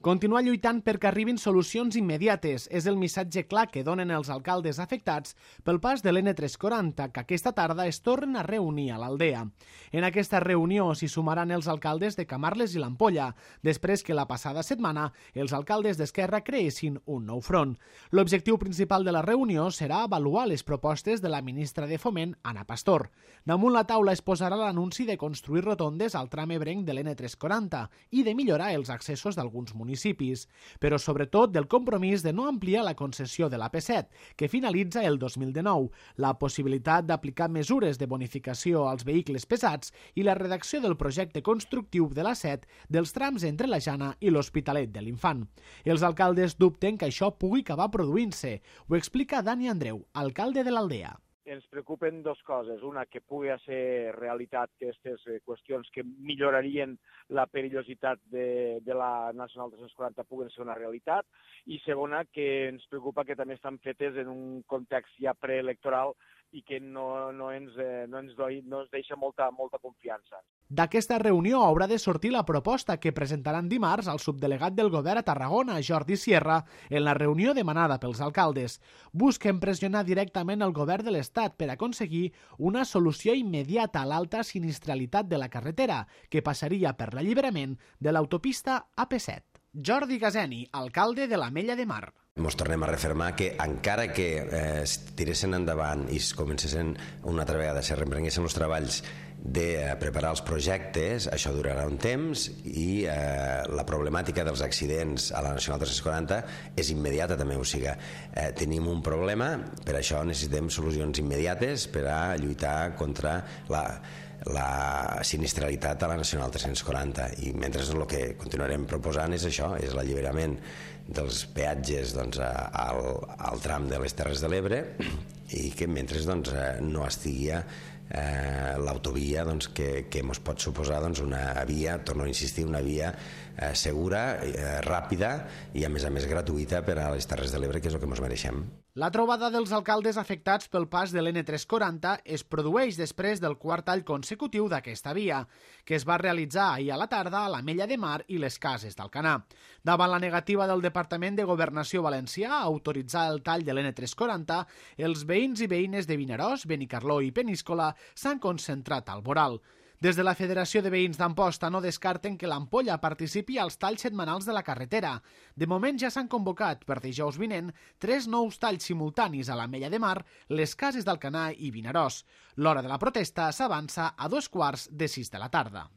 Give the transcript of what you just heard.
Continuar lluitant perquè arribin solucions immediates és el missatge clar que donen els alcaldes afectats pel pas de l'N340, que aquesta tarda es tornen a reunir a l'Aldea. En aquesta reunió s'hi sumaran els alcaldes de Camarles i l'Ampolla, després que la passada setmana els alcaldes d'Esquerra creessin un nou front. L'objectiu principal de la reunió serà avaluar les propostes de la ministra de Foment, Ana Pastor. Damunt la taula es posarà l'anunci de construir rotondes al tram ebrenc de l'N340 i de millorar els accessos d'alguns municipis, però sobretot del compromís de no ampliar la concessió de l'AP7, que finalitza el 2019, la possibilitat d'aplicar mesures de bonificació als vehicles pesats i la redacció del projecte constructiu de l'A7 dels trams entre la Jana i l'Hospitalet de l'Infant. Els alcaldes dubten que això pugui acabar produint-se. Ho explica Dani Andreu, alcalde de l'Aldea. Ens preocupen dues coses. Una, que pugui ser realitat aquestes qüestions que millorarien la perillositat de la Nacional 340 puguen ser una realitat. I segona, que ens preocupa que també estan fetes en un context ja preelectoral i que no ens deixa molta confiança. D'aquesta reunió haurà de sortir la proposta que presentaran dimarts al subdelegat del govern a Tarragona, Jordi Sierra, en la reunió demanada pels alcaldes. Busquen pressionar directament el govern de l'Estat per aconseguir una solució immediata a l'alta sinistralitat de la carretera, que passaria per l'alliberament de l'autopista AP7. Jordi Gazeni, alcalde de l'Ametlla de Mar. Ens tornem a refermar que encara que es tiressin endavant i es comencessin una altra vegada, se reprenguessin els treballs de preparar els projectes, això durarà un temps i la problemàtica dels accidents a la Nacional 340 és immediata també, o sigui, tenim un problema, per això necessitem solucions immediates per a lluitar contra la sinistralitat a la Nacional 340 i mentre el que continuarem proposant és això, és l'alliberament dels peatges al tram de les Terres de l'Ebre i que mentre no estigui l'autovia que ens pot suposar una via, torno a insistir, una via segura, ràpida i a més gratuïta per a les Terres de l'Ebre, que és el que ens mereixem. La trobada dels alcaldes afectats pel pas de l'N340 es produeix després del quart tall consecutiu d'aquesta via, que es va realitzar ahir a la tarda a l'Ametlla de Mar i les Cases d'Alcanar. Davant la negativa del Departament de Governació valencià a autoritzar el tall de l'N340, els veïns i veïnes de Vinaròs, Benicarló i Peníscola s'han concentrat al voral. Des de la Federació de Veïns d'Amposta no descarten que l'Ampolla participi als talls setmanals de la carretera. De moment ja s'han convocat per dijous vinent 3 nous talls simultanis a l'Ametlla de Mar, les Cases d'Alcanar i Vinaròs. L'hora de la protesta s'avança a 2:15 de la tarda.